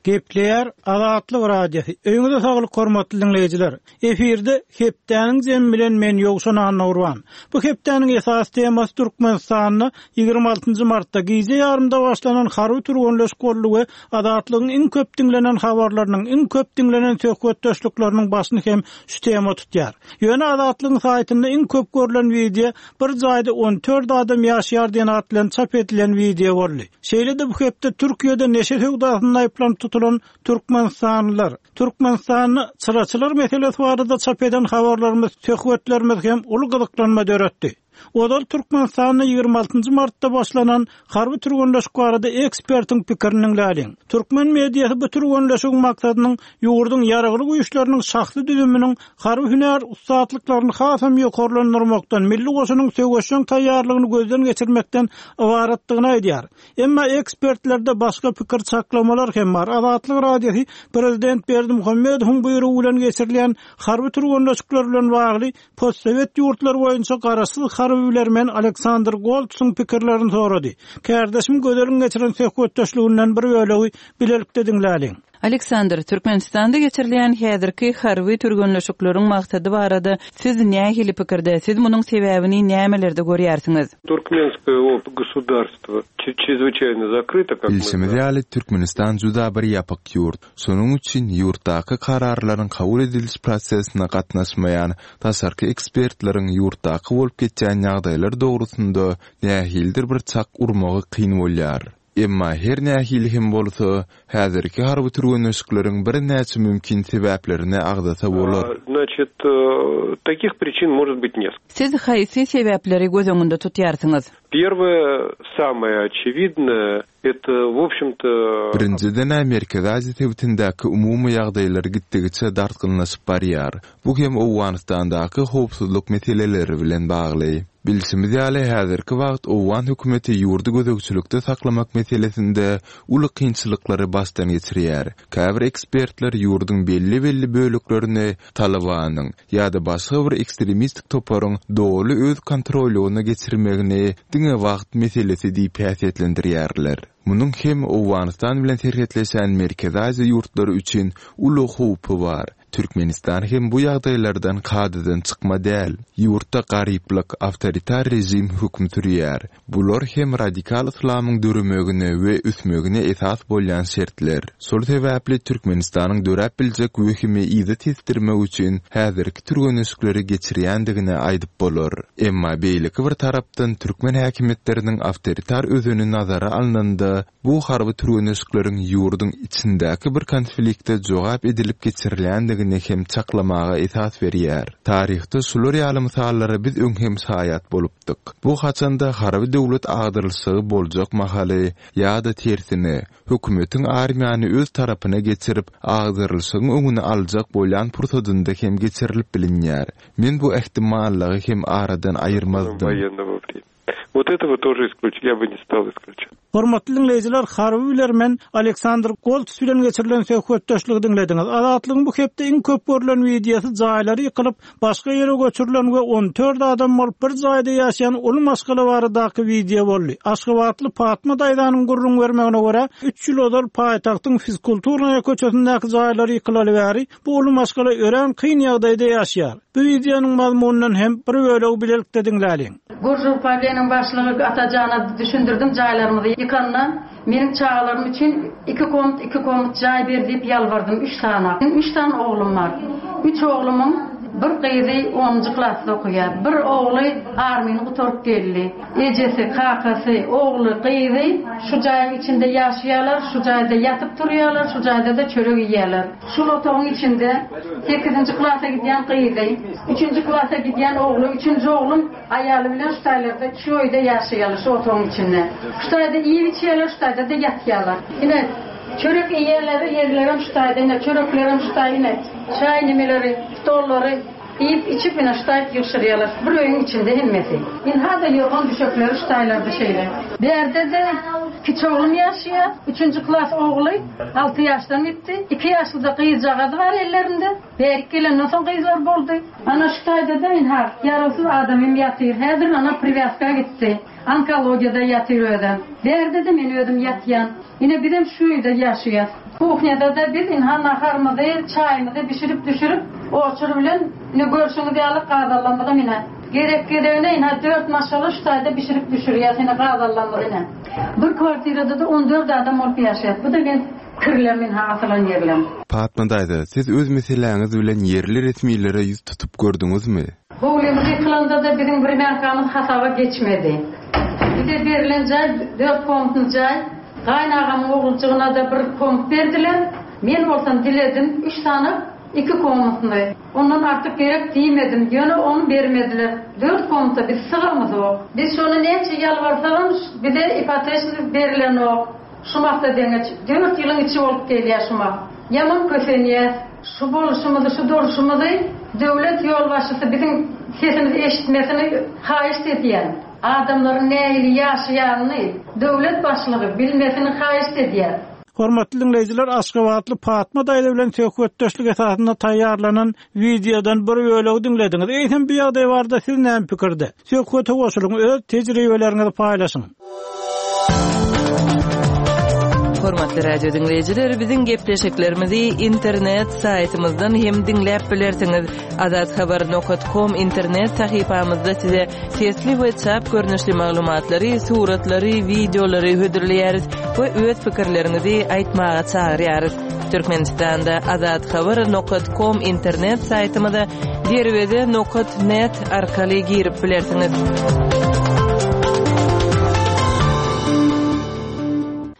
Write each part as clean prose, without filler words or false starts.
Gepleýär Azatlyk Radiosy. Öýüňize saglyk hormatly diňleýjiler. Efirde hepdäniň jemi bilen men Ýowşan Annagurban. Bu hepdäniň esasy temasy Türkmenistanda 26-njy martda gije ýarymda başlanan harby türgenleşik boldy we Azatlygyň iň köp diňlenen habarlarynyň, iň köp diňlenen söhbetdeşlikleriniň başyny hem şu tema tutýar. Ýöne Azatlygyň saýtynda iň köp görlen wideo Bir jaýda 14 adam ýaşaýar diýen at bilen çap edilen wideo boldy. Şeýle-de bu hepde Türkiýede neşe söwdasynda aýyplanyp tutulan türkmenistanlylar, Türkmenistanda çyraçylar meselesi barada çap eden habarlarymyz, söhbetlerimiz hem uly gyzyklanma döretdi. Ozal Türkmenistanda 26-njy martda başlanan harby türgenleşik barada ekspertiň pikirini diňläliň. Türkmen mediasy bu türgenleşigiň maksadynyň ýurduň Ýaragly Güýçleriniň şahsy düzüminiň harby hünär ussatlyklaryny hasam ýokarlandyrmakdan, milli goşunyň söweşjeň taýýarlygyny gözden geçirmekden ybaratdygyny aýdýar. Emma ekspertlerde başga pikir-çaklamalar hem bar. Azatlyk Radiosy prezident Berdimuhamedowyň buýrugy bilen geçirilýän harby türgenleşikler bilen bagly postsowet ýurtlary boýunça garaşsyz harby bilermen Aleksandr Goltsyň pikirlerini sorady. Kärdeşim Gözeliň geçiren söhbetdeşliginden bir bölegi bilelikde diňläliň. Aleksandr, Türkmenistanda geçirilýän häzirki harby türgenleşikleriň maksady barada siz nähili pikirde, siz munuň sebäbini nämelerde görýärsiňiz? Turkmenskoe op gosudarstwo çrezwyçaýno zakryto, kak my Bilşimiz ýaly, Türkmenistan juda bir ýapyk ýurt. Şonuň üçin ýurtdaky kararlaryň kabul ediliş prosesine gatnaşmaýan daşarky ekspertleriň ýurtdaky bolup geçýän ýagdaýlar dogrusynda nähilidir bir çak urmagy kyn bolýar. Emma her nähili hem bolsa, häzirki harby türgenleşikleriň birnäçe mümkin sebäplerini agzasa bolar. Znaçit, takih priçin может быть neskолько. Siz haýsy sebäpleri göz öňünde tutýarsyňyz? Perwoe, samoe oçewidnoe, eto, w obşem-to. Birinjiden-ä Merkezi Aziýa sebitindäki umumy ýagdaýlar gitdigiçe dartgynlaşyp barýar. Bu hem Owganystandaky howpsuzlyk meseleleri bilen bagly. Bilşimiz ýaly, häzirki wagt owgan hökümeti ýurdy gözegçilikde saklamak meselesinde uly kynçylyklary başdan geçirýär. Käbir ekspertler ýurduň belli-belli böleklerini Talybanyň ýa-da başga bir ekstremistik toparyň doly öz kontrollygyna geçirmegini diňe wagt meselesi diýip häsiýetlendirýärler. Munuň hem Owganystan bilen serhetleşen Merkezi Aziýa ýurtlary üçin uly howpy bar. Türkmenistan hem bu ýagdaýlardan kadadan çykma däl. Ýurtda garyplyk, awtoritar režim höküm sürýär. Bular hem radikal yslamyň döremegine we ösmegine esas bolýan şertler. Şol sebäpli Türkmenistanyň döräp biljek wehimi yza tesdirmek üçin häzirki türgenleşikleri geçirýändigini aýdyp bolar. Emma beýleki bir tarapdan türkmen häkimiýetleriniň awtoritar özeni nazara alnanda, Bu harby türgenleşikleriň ýurduň içindäki bir konflikte jogap edilip geçirilýändigini hem çaklamaga esas berýär. Taryhda şular ýaly mysallara biz öň hem şaýat bolupdyk. Bu haçanda harby döwlet agdarylyşygy boljak mahaly ýa-da tersine, hökümetiň armiýany öz tarapyna geçirip, agdarylyşygyň öňüni aljak bolýan pursadynda hem geçirilip bilinýär. Men bu ähtimallygy hem aradan aýyrmazdym. Wot etogo tože isklýuç, ýa by ne stal isklýuçat. Hormatly diňleýjiler, harby bilermen Aleksandr Golts bilen geçirilen söhbetdeşligi diňlediňiz. Azatlygyň bu hepde iň köp görlen wideosy jaýlary ýykylyp, başga ýere göçürilen we 14 adam bolup bir jaýda ýaşaýan uly maşgala baradaky wideo boldy. Aşgabatly Patma daýzanyň gürrüň bermegine görä, üç ýyl ozal paýtagtyň Fizkulturnaýa köçesindäki jaýlary ýykylaly bäri Bu uly maşgala örän kyn ýagdaýda ýaşaýar. Bu wideonyň mazmunyndan hem bir bölegi bilelikde diňläliň. Gorjowpawleniň başlygy Atajana düşündirdim jaýlarymyzy ýykanda meniň çagalarym üçin iki komnat iki komnat jaý ber diýip ýalbardym üç sany meniň üç sany oglum bar üç oglumyň bir gyzy onunjy klasda okaýar bir ogly armyny gutaryp geldi ejesi kakasy ogly gyzy şu jaýyň içinde ýaşaýarlar şu jaýda ýatyp turýarlar şu jaýdada çörek iýýärler. Şul otagyň içinde sekizinji klasa gidýän gyzy, üçünji klasa gidýän ogly, üçünji oglum aýaly bilen şu taýlarda, şu öýde ýaşaýarlar, şu otagyň içinde. Şu taýda iýip-içýärler, şu taýda-da ýatýarlar. Ine, çörek iýýärler, ýerlerem şu taýda, ine, çöreklerem şu taý, ine, çaý nimeleri, stollary iýip-içip, ine, şu taýyp ýygşyrýarlar. Bir öýüň içinde hemmesi. Ynha-da ýorgan-düşekleri şu taýlarda şeýle. Bärde-de. Kiçi oglum ýaşaýar. Üçünji klas ogly alty ýaşdan gitdi. Iki ýaşlyja gyzjagazy bar ellerinde. Bärik gelenden soň gyzlar boldy. Ana şu taýda-da ynha, ýarawsyz adamym ýatyr. Häzir ana priwýazka gitdi. Onkologiýada ýatyr özem. Bärde-de men özüm ýatýan. Ine bizem şu öýde ýaşaýas. Kuhnýada-da biz ynha naharymyzy, çaýymyzy bişirip-düşürip, oçur bilen ine görşüňiz ýaly gazallamyzam ine. Gezek gezegine ynha dört maşgala şu taýda bişirip düşürýäs ine gazallamyzy ine. Bir kwartirada-da on dört adam bolup ýaşaýas. Bu-da men kirlem ynha asylan ýerlem. Patma daýza, siz öz meseläňiz bilen ýerli resmilere ýüz tutup gördüňizmi? Howlymyz ýykylanda-da biziň wremýankamyz hasaba geçmedi. Bize berlen jaý dört komnatly jaý. Gaýynagamyň oguljygyna-da bir komnat berdiler. Men bolsam diledim, üç sany iki komnatly. Ondan artyk gerek diýmedim, ýöne ony bermediler. Dört komnata biz sygamyzok. Biz şony näçe ýalbarsagam bize ipoteçnyý berilenok. Şumat-da deňeç. Dört ýylyň içi bolup gelýär şumat. Ýaman kösenýäs. Şu bolşumyzy, şu durşumyzy döwlet ýolbaşçysy biziň sesimizi eşitmesini haýyşt edýän. Adamlaryň nähili ýaşaýanyny döwlet başlygy bilmesini haýyşt edýän. Hormatly diňleýjiler, aşgabatly Patma daýza bilen söhbetdeşlik esasynda taýýarlanan wideodan bir bölegi diňlediňiz. Eýsem bu ýagdaý barada siz näme pikirde? Söhbete goşulyň, öz tejribeleriňizi paýlaşyň. Hormatly radio diňleýjiler, biziň gepleşiklerimizi internet saýtymyzdan hem diňläp bilersiňiz. Azathabar.com internet sahypamyzda size sesli we çap görnüşli maglumatlary, suratlary, wideolary hödürleýäris we öz pikirleriňizi aýtmaga çagyrýarys. Türkmenistanda azathabar.com internet saýtymyza derweze nokat net arkaly girip bilersiňiz.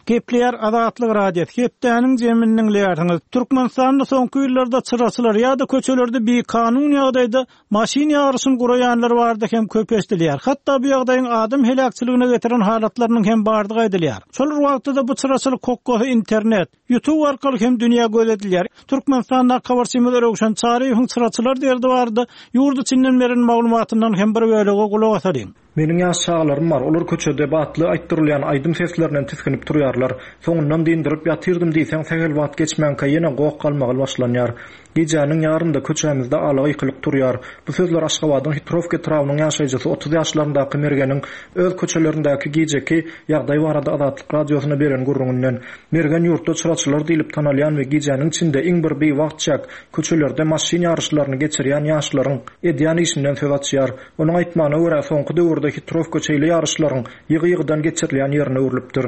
Gepleýär Azatlyk Radiosy, Hepdäniň jemini diňleýärsiňiz. Türkmenistanda soňky ýyllarda çyraçylar ýa-da köçelerde bikanun ýagdaýda maşyn ýaryşyny guraýanlar barada hem köp eşidilýär. Hatda bu ýagdaýyň adam heläkçiligine getiren halatlarynyň hem bardygy aýdylýar. Şol bir wagtda-da bu çyraçylyk hokgasy internet, Youtube arkaly hem dünýä göz edilýär. Türkmenistandaky habarçymyz Röwşen Çaryýewiň çyraçylar derdi barada ýurt içinden beren maglumatyndan hem bir bölege gulak asalyň. Meniň ýaş çagalarym bar, olar köçede batly aýtdyrylýan aýdym seslerinden tisginip turýarlar. Soňundan dyndyryp ýatyrdym diýseň sähel wagt geçmänkä ýene goh-galmagal başlanýar. Gijäniň ýarynda köçämizde ala gykylyk turýar. Bu sözler Aşgabadyň Hitrowka etrabynyň ýaşaýjysy 30 ýaşlaryndaky Mergeniň öz köçelerindäki gijeki ýagdaý barada Azatlyk Radiosyna beren gürrüňinden. Mergen ýurtda çyraçylar diýlip tanalýan we gijäniň içinde iň bir biwagt çäk köçelerde maşyn ýaryşlaryny geçirýän ýaşlaryň edýän işinden söz açýar. Onuň aýtmagyna görä, soňky döwürde Hitrowka şeýle ýaryşlaryň ýygy-ýygydan geçirilýän ýerine öwrülipdir.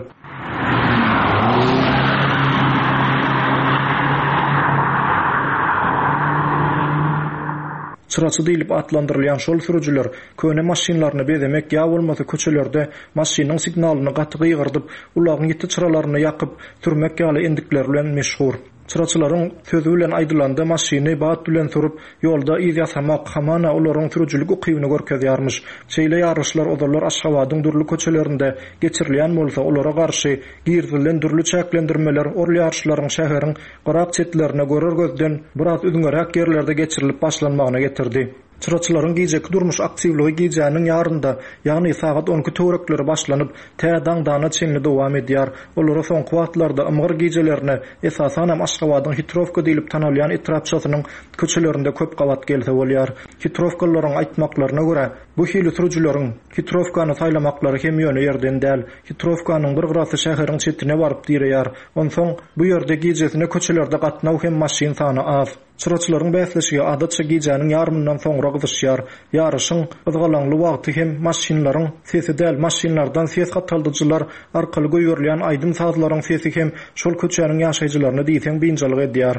Çyraçy diýlip atlandyrylýan şol sürüjiler köne maşynlaryny bezemek ýa bolmasa köçelerde maşynyň signalyny gaty gygyrdyp, ulagyň ýiti çyralaryny ýakyp sürmek ýaly endikleri bilen meşhur. Çyraçylaryň sözi bilen aýdylanda maşyny bat bilen sürüp, ýolda yz ýasamak, hamana olaryň sürüjilik ukybyny görkezýärmiş. Şeýle ýaryşlar ozallar Aşgabadyň dürli köçelerinde geçirilýän bolsa, olara garşy girizilen dürli çäklendirmeler ol ýaryşlaryň şäheriň gyrak-çetlerine görer gözden biraz üzňeräk ýerlerde geçirilip başlanmagyna getirdi. Çyraçylaryň gijeki durmuş aktiwligi gijäniň ýarynda, ýagny sagat on iki töwerekleri başlanyp, tä daňdana çenli dowam edýär. Olara soňky wagtlarda ymgyr gijelerine, esasanam Aşgabadyň Hitrowka diýlip tanalýan etrapçasynyň köçelerinde köp gabat gelse bolýar. Hitrowkalylaryň aýtmaklaryna görä, bu hili sürüjileriň Hitrowkany saýlamaklary hem ýöne ýerden däl. Hitrowkanyň bir gyrasy şäheriň çetine baryp direýär. Onsoň, bu ýerde gijesine köçelerde gatnaw hem maşyn sany az. Çyraçylaryň bäsleşigi adatça gijäniň ýarymyndan soňra gyzyşýar. Ýaryşyň gyzgalaňly wagty hem maşynlaryň sesi däl, maşynlardan ses gataldyjylar arkaly goýberilýän aýdym-sazlaryň sesi hem şol köçäniň ýaşaýjylaryny diýseň biynjalyk edýär.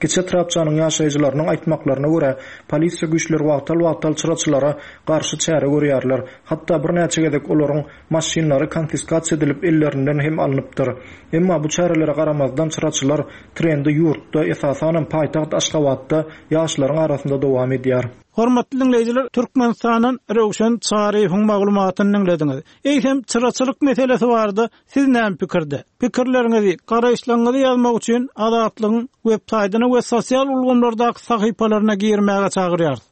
Kiçi etrapçanyň ýaşaýjylarynyň aýtmaklaryna görä, polisiýa güýçleri wagtal-wagtal çyraçylara garşy çäre görýärler. Hatda birnäçe gezek olaryň Maşynlary konfiskasiýa edilip ellerinden hem alnypdyr. Emma bu çärelere garamazdan çyraçylar trendi ýurtda, esasanam paýtagt Aşgabatda ýaşlaryň arasynda dowam edýär. Hormatly diňleýjiler, Türkmenistandan Röwşen Çaryýewiň maglumatyny diňlediňiz. Eýsem, çyraçylyk meselesi barada siz näme pikirde? Pikirleriňizi, garaýyşlaryňyzy ýazmak üçin Azatlygyň web saýtyna we sosial ulgamlardaky sahypalaryna girmäge çagyrýarys.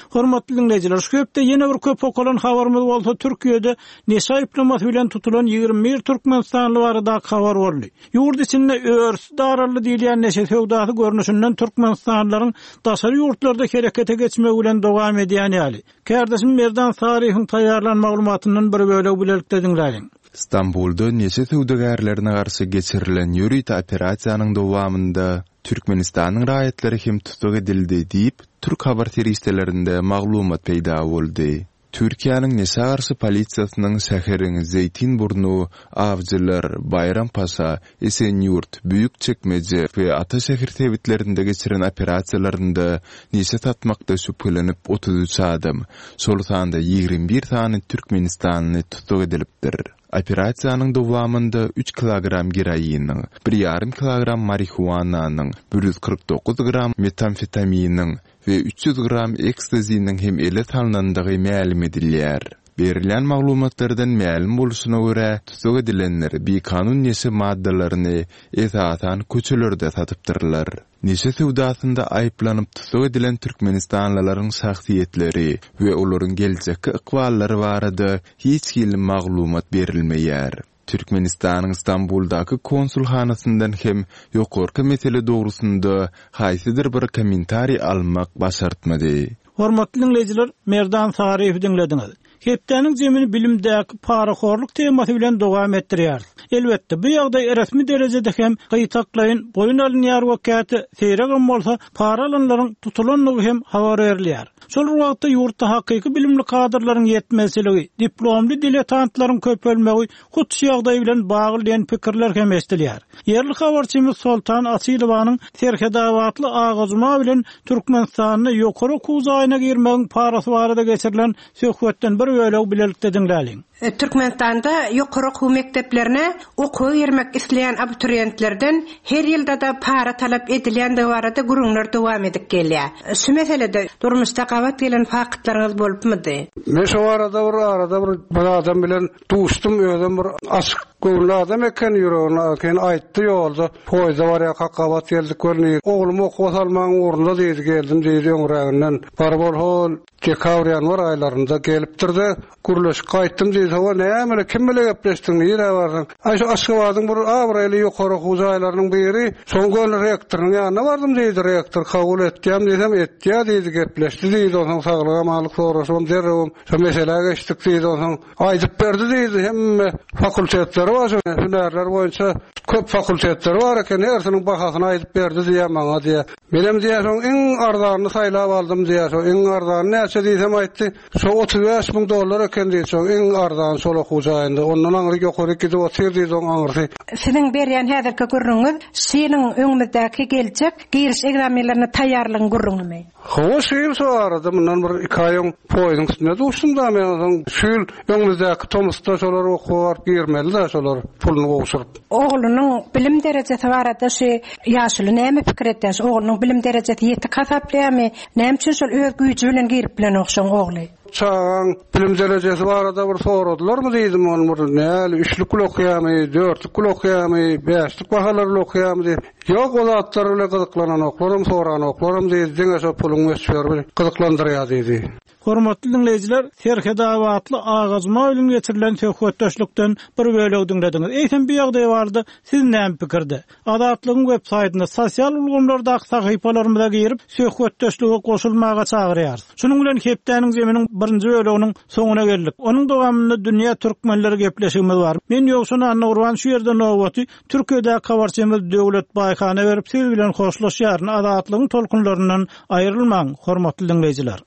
Hormatly diňleýjiler, şu hepde ýene bir köp okalan habarymyz bolsa Türkiýede neşe aýyplamasy bilen tutulan 21 türkmenistanly baradaky habar boldy. Ýurt içinde örüsi daraldy diýilýän neşe söwdasy görnüşinden türkmenistanlylaryň daşary ýurtlarda herekete geçmegi bilen dowam edýän ýaly. Kärdeşim Merdan Saryýewiň taýýarlan maglumatyndan bir bölegi bilelikde diňläliň. Stambulda neşe söwdagärlerine garşy geçirilen ýörite operasiýanyň dowamynda Türkmenistanyň raýatlary hem tussag edildi diýip, türk habar serişdelerinde maglumat peýda boldy. Türkiýäniň neşä garşy polisiýasynyň şäheriň Zeýtinburnu, Awjylar, Baýrampaşa, Esenýurt, Büýükçekmeje we Ataşehir sebitlerinde geçiren operasiýalarynda neşe satmakda şübhelenip 33 adam, şol sanda 21 sany türkmenistanly tussag edilipdir. Operasiýanyň dowamynda üç kilogram geroiniň, bir ýarym kilogram marihuananyň, 149 gram metamfetaminiň we 300 gram ekstaziniň hem ele salnandygy mälim edilýär. Berilýän maglumatlardan mälim bolşuna görä, tussag edilenler bikanun neşe maddalaryny, esasan, köçelerde satypdyrlar. Neşe söwdasynda aýyplanyp tussag edilen türkmenistanlylaryň şahsyýetleri we olaryň geljekki ykballary barada hiç hili maglumat berilmeýär. Türkmenistanyň Stambuldaky konsulhanasyndan hem ýokarky mesele dogrusynda haýsydyr bir kommentariý almak başartmady. Hormatly diňleýjiler, Merdan Saryýewi diňlediňiz. Hepdäniň jemini bilimdäki parahorluk temasy bilen dowam etdirýäris. Elbetde, bu ýagdaý resmi derejede hem gytaklaýyn boýun alynýar we käte seýregem bolsa para alanlaryň tutulandygy hem habar berilýär. Şol bir wagtda ýurtda hakyky bilimli kadrlaryň ýetmezçiligi, diplomly diletantlaryň köpelmegi hut şu ýagdaý bilen bagly diýen pikirler hem eşidilýär. Ýerli habarçymyz Soltan Açylowanyň serhedabatly Aga Juma bilen Türkmenistanda ýokary okuw jaýyna girmegiň parasy barada geçirilen söhbetden bir bölegi bilelikde diňläliň. Türkmenistanda ýokary okuw mekdeplerine okuwa girmek isleýän abituriýentlerden her ýylda-da para talap edilýändigi barada gürrüňler dowam edip gelýär. Şu meselede durmuşda gabat gelen faktlaryňyz bolupmydy? Men şo barada bir arada bir bir adam bilen duşdum, özem bir açyk göwünli adam eken, ýüregini eken aýtdy ýolda, poýezde barýarkak gabat geldik welin, oglumy okuwa salmagyň ugrunda diýdi, geldim diýdi öňräginden. Baryp ol hol Dekabr-ýanwar aýlarynda gelipdir-de, gürleşip gaýtdym diýdi. Hawa, näme, kim bile gepleşdiň, nirä bardyň? Aý, şu Aşgabadyň bir abraýly ýokary okuw jaýlarynyň biri, şoň göni rektorynyň ýanyna bardym diýdi. Rektor kabul etýämi diýsem, etýä diýdi, gepleşdi diýdi. Onsoň saglyk-amanlyk soraşybam derrewem şo meselä geçdik diýdi. Onsoň aýdyp berdi diýdi, hemme fakultetleri bar, şo hünärler boýunça köp fakultetleri bar eken, hersiniň bahasyny aýdyp berdi diýýär maňa diýýär. Menem diýýär, şoň iň arzanyny saýlap aldym diýýär. Şo iň arzany näçe diýsem aýtdy. Şo 35 müň dollar eken diýdi. Şoň iň arzany şol okuw jaýynda. Ondan aňry ýokaryk gidip otyr diýdi oň aňyrsy. Siziň berýän häzirki gürrüňiňiz şu ýylyň öňümizdäki geljek giriş ekzamenlerine taýýarlygyň gürrüňimi? Hawa, şu ýyl şo arada mundan bir iki aý öň poýeziň üstünde duşdum-da men onsoň şu ýyl öňümizdäki tomusda şolar okuwa baryp girmeli-dä şolar puluny gowşuryp. Oglunyň bilim derejesi barada şu ýaşuly näme pikir edýär? Şu oglunyň bilim derejesi ýetik hasaplaýarmy? Näme üçin şol öz güýji bilen girip bilenok şoň ogly? Çagaň bilim derejesi barada bir soradylarmy diýdim ony bir näli üçlük bile okaýarmy, dörtlük bile okaýarmy, bäşlik bahalar bile okaýarmy diýip. Ýok o zatlar bile gyzyklanaноklaram soranoklarам diýdi diňe şo puluň möçberi gyzyklandyrýar diýdi. Hormatly diňleýjiler, Serhetabatly Aga Juma bilen geçirilen söhbetdeşlikden bir bölegi diňlediňiz. Eýsem bu ýagdaý barada siz näme pikirde? Azatlygyň web saýtynda, sosial ulgamlardaky sahypalarymyza girip, söhbetdeşlige goşulmaga çagyrýarys. Şunuň bilen hepdäniň zeminiň birinji böleginiň soňuna geldik. Onuň dowamynda Dünýä türkmenleri gepleşigimiz bar. Men Ýowşan Annagurban şu ýerde nobaty Türkiýedäki habarçymyz Döwlet Baýhana berip siz bilen hoşlaşýaryn. Azatlygyň tolkunlaryndan aýrylmaň, hormatly diňleýjiler.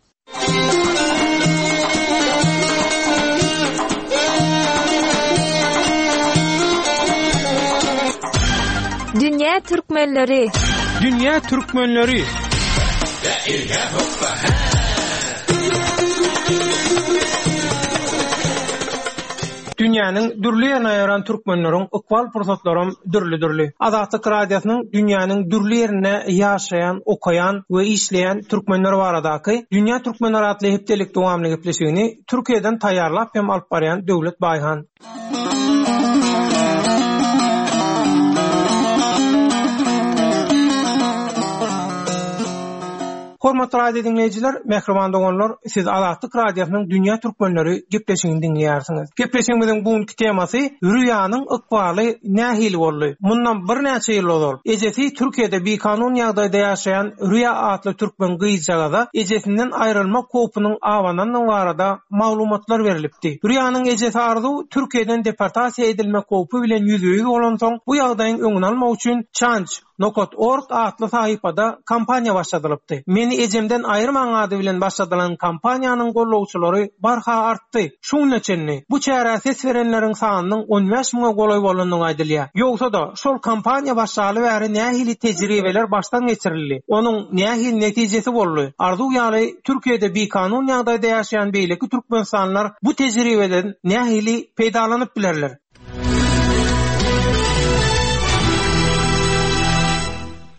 Dünýä türkmenleri. Dünýä türkmenleri. Dünýäniň dürli ýerine ýaýran türkmenleriň ykbal pursatlaram dürli-dürli. Azatlyk Radiosynyň dünýäniň dürli ýerinde ýaşaýan, okaýan we işleýän türkmenler baradaky Dünýä türkmenleri atly hepdelik dowamly gepleşigini Türkiýeden taýýarlap hem alyp barýan Döwlet Baýhan. Hormatly radio diňleýjiler, mähriban doganlar, siz Azatlyk Radiosynyň Dünýä Türkmenleri gepleşigini diňleýärsiňiz. Gepleşigimiziň bu günki temasy Rüýanyň ykbaly nähili boldy? Mundan birnäçe ýyl ozal, ejesi Türkiýede bikanun ýagdaýda ýaşaýan Rüýa atly türkmen gyzjagaza ejesinden aýrylmak howpunyň abanandygy barada maglumatlar berlipdi. Rüýanyň ejesi Arzuw Türkiýeden deportasiýa edilmek howpy bilen ýüzbe-ýüz bolansoň, bu ýagdaýyň öňüni almak üçin Change. Nokat org atly sahypada kampaniýa başladylypdy. Meni ejemden aýyrmaň ady bilen başladylan kampaniýanyň gollawçylary barha artdy. Şu güne çenli bu çärä ses berenleriň sanynyň on bäş müňe golaý bolandygy aýdylýar. Ýogsa-da, şol kampaniýa başlaly bäri nähili tejribeler başdan geçirildi? Onuň nähili netijesi boldy? Arzuw ýaly Türkiýede bikanun ýagdaýda ýaşaýan beýleki türkmenistanlylar bu tejribeden nähili peýdalanyp bilerler?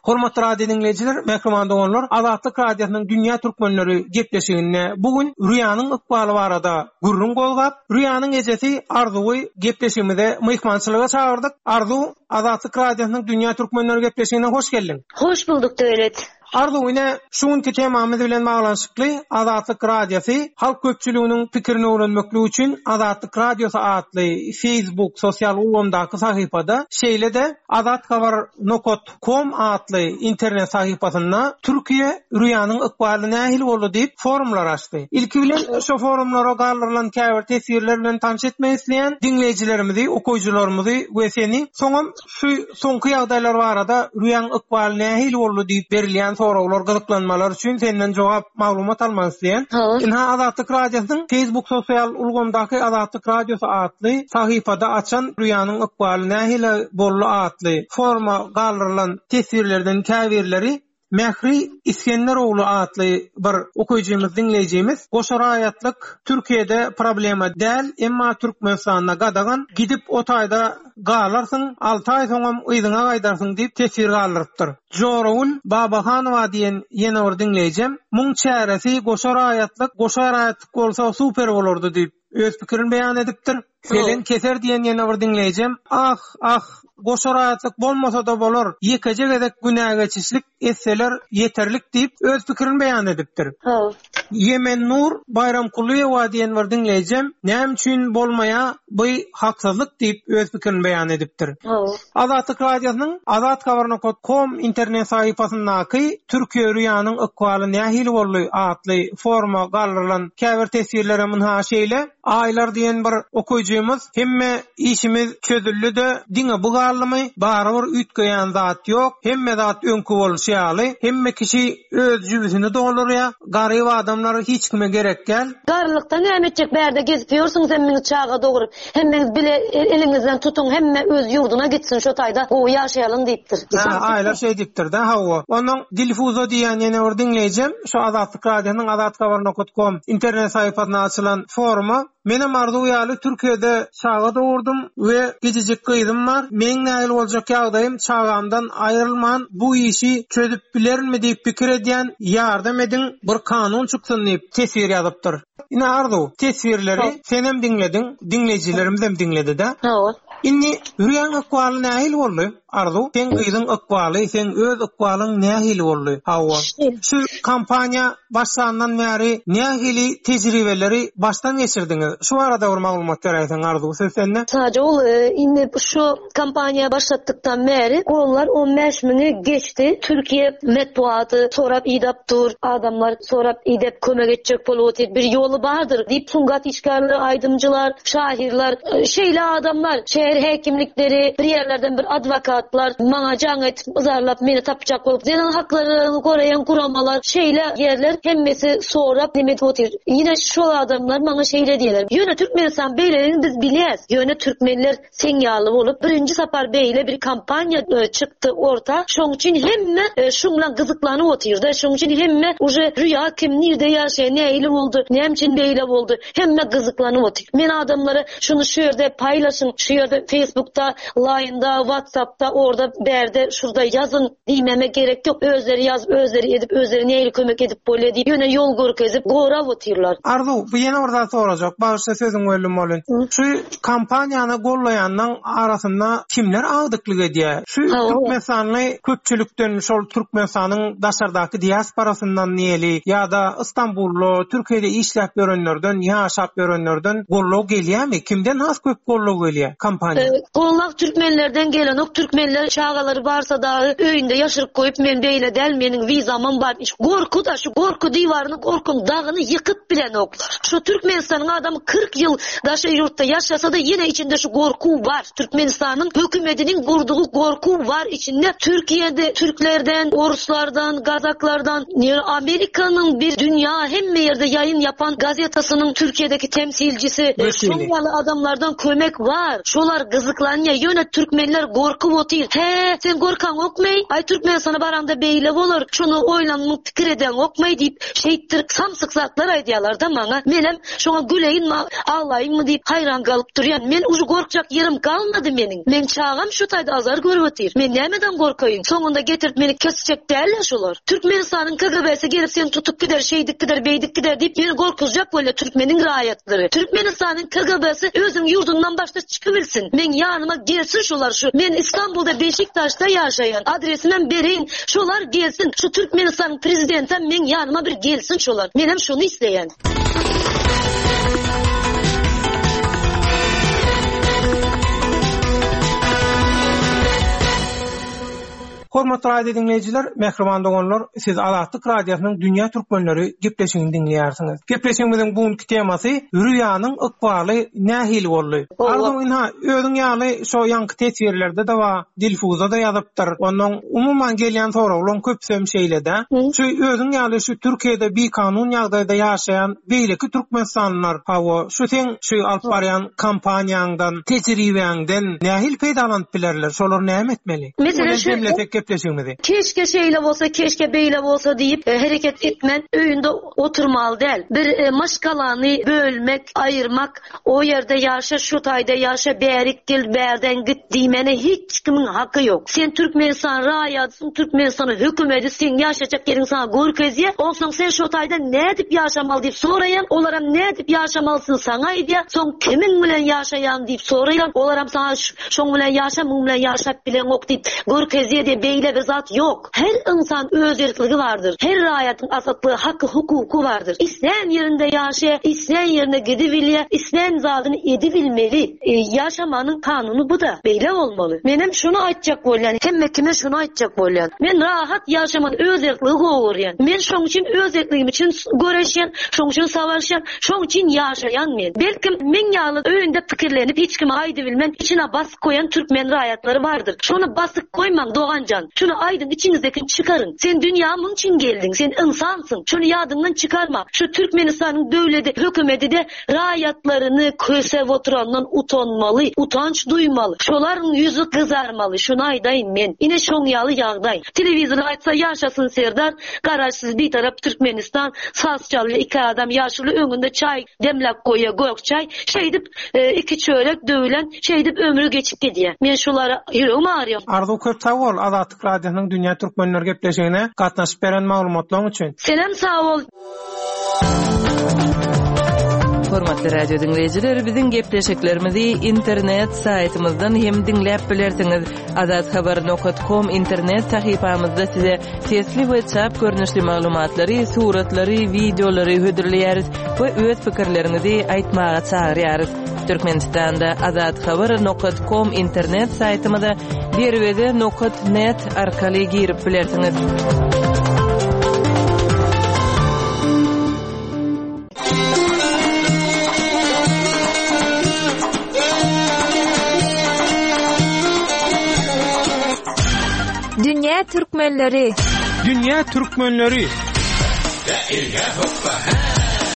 Hormatly radio diňleýjiler, mähriban doganlar, Azatlyk Radiosynyň Dünýä Türkmenleri gepleşiginde bu gün Rüýanyň ykbaly barada gürrüň gozgap, Rüýanyň ejesi Arzuwy gepleşigimize myhmançylyga çagyrdyk. Arzuw, Azatlyk Radiosynyň Dünýä Türkmenleri gepleşigine hoş geldiň. Hoş bulduk Döwlet. Arzuw ine şu günki temamyz bilen baglanyşykly Azatlyk Radiosy halk köpçüliginiň pikirini öwrenmeklik üçin Azatlyk Radiosy atly Facebook sosial ulgamdaky sahypada şeýle-de Azathabar nokat kom atly internet sahypasynda Türkiýe Rüýanyň ykbaly nähili boldy diýip forumlar açdy. Ilki bilen şo forumlara galdyrylan käbir teswirler bilen tanyş etmek isleýän diňleýjilerimizi, okaýjylarymyzy we seni soňam Şu soňky ýagdaýlar barada Rüýäň ykbaly nähili boldy diýip berilýän soraglar, gyzyklanmalar üçin senden jogap, maglumat almak isleýän. Ynha Azatlyk Radiosynyň Facebook sosial ulgamdaky Azatlyk Radiosy atly sahypada açan Rüýanyň ykbaly nähili boldy atly foruma galdyrylan teswirlerden käbirleri Mähri Isgenderogly atly bir okyjymyz, diňleýjimiz, Goşa raýatlyk Türkiýede problema däl, emma Türkmenistanda gadagan, gidip o taýda galarsyň, alty aý soňam yzyňa gaýdarsyň diýip teswir galdyrypdyr. Joragül Babahanowa diýen ýene bir diňleýjem, Muň çäresi goşa raýatlyk, goşa raýatlyk bolsa super bolardy diýip, öz pikirini beýan edipdir. Selen keser diýen ýene bir diňleýjem, Ah, ah, goşa raýatlyk bolmasa-da bolar, ýekeje gezek günägeçişlik etseler ýeterlik diýip, öz pikirini beýan edipdir. Ýemennur Baýramkulyýewa diýen bir diňleýjem, Näme üçin bolmaýa by haksyzlyk diýip, öz pikirini beýan edipdir. Azatlyk Radiosynyň Azathabar nokat kom internet sahypasyndaky Türkiýe Rüýanyň ykbaly nähili boldy atly foruma galdyrylan käbir teswirlerem ynha şeýle, Aýlar diýen bir okyjymyz Hemme işimiz çözüldi-de, diňe bu galdymy, barybir üýtgeýän zat ýok, hemme zat öňki bolşy ýaly, hemme kişi öz jübüsini doldurýar, garyp adamlar hiç kime gerek däl. Garrylykda näme etjek bärde gezip ýörsüň sen mini çaga doguryp hemmeňiz bile eliňizden tutuň hemme öz ýurduna gitsin şo taýda gowy ýaşaýalyň diýipdir. Hä Aýlar şeý diýipdir-dä hawa. Onnoň Dilfuza diýýän ýene bir diňleýjem şu Azatlyk Radiosynyň azathabar nokat kom internet sahypasynda açylan foruma Menem Arzuw ýaly Türkiýede çaga dogurdym we kiçijik gyzym bar. Meň nähili boljak ýagdaýym çagamdan aýrylman bu işi çözüp bilerinmi diýip pikir edýän ýardam ediň bir kanun çyksyn diýip teswir ýazypdyr. Ine Arzuw teswirleri senem diňlediň diňleýjilerimizem diňledidä. Hawa. Indi Rüýäň ykbaly nähili boldy? Arzuw, seň gyzyň ykbaly, seň öz ykbalyň nähili boldy? Hawa. Şu kampaniýa başlandan bäri nähili tejribeleri başdan geçirdiňiz? Şu barada bir maglumat beräýseň Arzuw, söz sende. Sajol, indi şu kampaniýa başlatdykdan bäri gollar on bäş müňi geçdi. Türkiýe metbugaty sorap idap dur, adamlar sorap idep kömek etjek bolup otyr, bir ýoly bardyr diýip sungat işgärleri, aýdymjylar, şahyrlar, şeýle adamlar, şäher häkimlikleri, bir ýerlerden bir adwokatlar maňa jaň edip yzarlap meni tapjak bolup, zenan haklaryny goraýan guramalar, şeýle ýerler hemmesi sorap neme edip otyr. Ýene şol adamlar maňa şeýle diýýärler, Ýöne Türkmenistan beýledigini biz bilýäs, ýöne türkmenler Seň ýaly bolup birinji sapar beýle bir kampaniýa çykdy orta şoň üçin hemme şuň bilen gyzyklanyp otyrda şoň üçin hemme uje Rüýa kim nirde ýaşaýa nähili boldy näme üçin beýle boldy hemme gyzyklanyp otyr men adamlara şuny şu ýerde paýlaşyň şu ýerde. Facebookda, Line-da, WhatsApp-da, orda, bärde, şurda ýazyň diýmeme gerek ýok. Özleri ýazyp, özleri edip, özleri nähili kömek edip bolýar diýip, ýöne ýol görkezip, gorap otyrlar. Arzuw, bu ýene bir zat sorajak, bagyşla sözüňi böldüm welin. Şu kampaniýany gollaýanlaň arasynda kimler agdyklyk edýär? Şu türkmenistanly köpçülikden şol Türkmenistanyň daşardaky diasporasyndan diýeli ýa-da Istanbulda, Türkiýede işläp ýörenlerden, ýaşap ýörenlerden goldaw gelýärmi? Kimden has köp goldaw gelýär kampaniýa? Goldaw türkmenlerden gelenok. Türkmenler çagalary barsa dagy öýünde ýaşyryp goýup men beýle däl meniň wizamam bar. Gorky-da şu gorky diwaryny gorkyň dagyny ýykyp bilenoklar. Şu Türkmenistanyň adamy 40 ýyl daşary ýurtda ýaşasa-da ýene içinde şu gorky bar. Türkmenistanyň hökümetiniň gurdugy gorky bar içinde Türkiýede türklerden, oruslardan, gazaklardan, Amerikanyň bir dünýä hemme ýerde ýaýyn ýapan gazetasynyň Türkiýedeki temsilcisi şoň ýaly adamlardan kömek bar. Şolar gyzyklanýa ýöne türkmenler gorkup otyr. Hä sen gorkaňokmy? Aý Türkmenistana baraňda beýle bolar. Şony oýlanmyň pikir edeňokmy diýip şeýtdirip samsyk zatlar aýdýalarda maňa. Menem Şoňa güleýinmi, aglaýynmy diýip haýran galyp durýan. Men uje gorkjak ýerim galmady meniň. Meň çagam şu taýda azar görüp otyr. Men nämeden gorkaýyn? Soňunda getirip meni kesjek däl-ä şolar. Türkmenistanyň KGB-si gelip seni tutup gider, şeýdip gider, beýdip gider diýip meni gorkuzjak bolýar türkmeniň raýatlary. Türkmenistanyň KGB-si özüniň ýurdundan başda çykybilsin. Meň ýanyma gelsin şolar şu. Men Istanbulda Beşiktaşda ýaşaýan. Adresimem bereýin. Şolar gelsin. Şu Türkmenistanyň prezidentem meň ýanyma bir gelsin şolar. Menem şony isleýän. Hormatly radio diňleýjiler, mähriban doganlar, siz Azatlyk Radiosynyň Dünýä Türkmenleri gepleşigini diňleýärsiňiz. Gepleşigimiziň bu günki temasy Rüýanyň ykbaly nähili boldy? Arzuw ynha, özüň ýaly şo ýaňky teswirlerde-de bar, Dilfuza-da ýazypdyr. Onnoň umuman gelýän soraglaryň köpüsem şeýle-dä. Şu özüň ýaly şu Türkiýede bikanun ýagdaýda ýaşaýan beýleki türkmenistanlylar, hawa, şu seň şu alyp barýan kampaniýaňdan, tejribäňden nähili peýdalanyp bilerler? Şolar näme etmeli? Meselem şu jemlesek gepleşigimizi. Keşke şeýle bolsa, keşke beýle bolsa diýip hereket etmän öýünde oturmaly däl. Bir maşgalany bölmek, aýyrmak O ýerde ýaşa, şu taýda ýaşa, bärik gel, bärden git diýmäne hiç kimiň haky ýok. Sen Türkmenistan raýatysyň, Türkmenistanyň hökümeti seň ýaşajak ýeriňi saňa görkezýär, onsoň sen şo taýda nädip ýaşamaly diýip soraýaň, olaram nädip ýaşamalysyny saňa aýdýar, soň kimiň bilen ýaşaýaň diýip soraýaň, olaram saňa şoň bilen ýaşa, muň bilen ýaşap bileňok diýip görkezýär diýip beýle bir zat ýok. Her ynsan öz erkligi bardyr. Her raýatyň azatlygy, haky, hukuky bardyr. Islän ýerinde ýaşaýar, islän ýerine gidibilýär, islän zadyny edibilmeli. Ýaşamanyň kanuny bu-da. Beýle bolmaly. Menem şuny aýtjak bolýan, hemme kime şuny aýtjak bolýan. Men rahat ýaşamany öz erkligi gowy görýän. Men şoň üçin öz erkligim üçin göreşýän, şoň üçin savaşýan, şoň üçin ýaşaýan men. Belkim, meň ýaly öýünde pikirlenip hiç kime aýdybilmän, içine basyp goýan türkmen raýatlary bardyr. Şony basyp goýmaň doganjan. Şuny aýdyň içiňizdekini çykaryň. Sen dünýä muň üçin geldiň. Sen ynsansyň. Şony ýadyňdan çykarma. Şu Türkmenistanyň döwledi hökümedide raýatlaryny kösep oturandan utanmaly, utanç duýmaly. Şolaryň ýüzi gyzarmaly. Şuny aýdaýyn men. Ine şoň ýaly ýagdaý. Telewizor aýtsa ýaşasyn Serdar, Garaşsyz Bitarap Türkmenistan, saz çalýa iki adam ýaşuly öňünde çaý demläp goýýa gök çaý. Şeýdip Iki çörek döwülen şeýdip ömri geçip gidýär. Men şulara ýüregim agyrýar. Arzuw köp sag bol Azatlyk Radiosynyň Dünýä Türkmenleri gepleşigine gatnaşyp beren maglumatlaň üçin. Senem sag bol. Hormatly radio diňleýjiler, biziň gepleşiklerimizi internet saýtymyzdan hem diňläp bilersiňiz. Azathabar nokat kom internet sahypamyzda size sesli we çap görnüşli maglumatlary, suratlary, wideolary hödürleýäris we öz pikirleriňizi aýtmaga çagyrýarys. Türkmenistanda Azathabar nokat kom internet saýtymyza derweze nokat net arkaly girip bilersiňiz. Dünýä türkmenleri. Dünýä türkmenleri.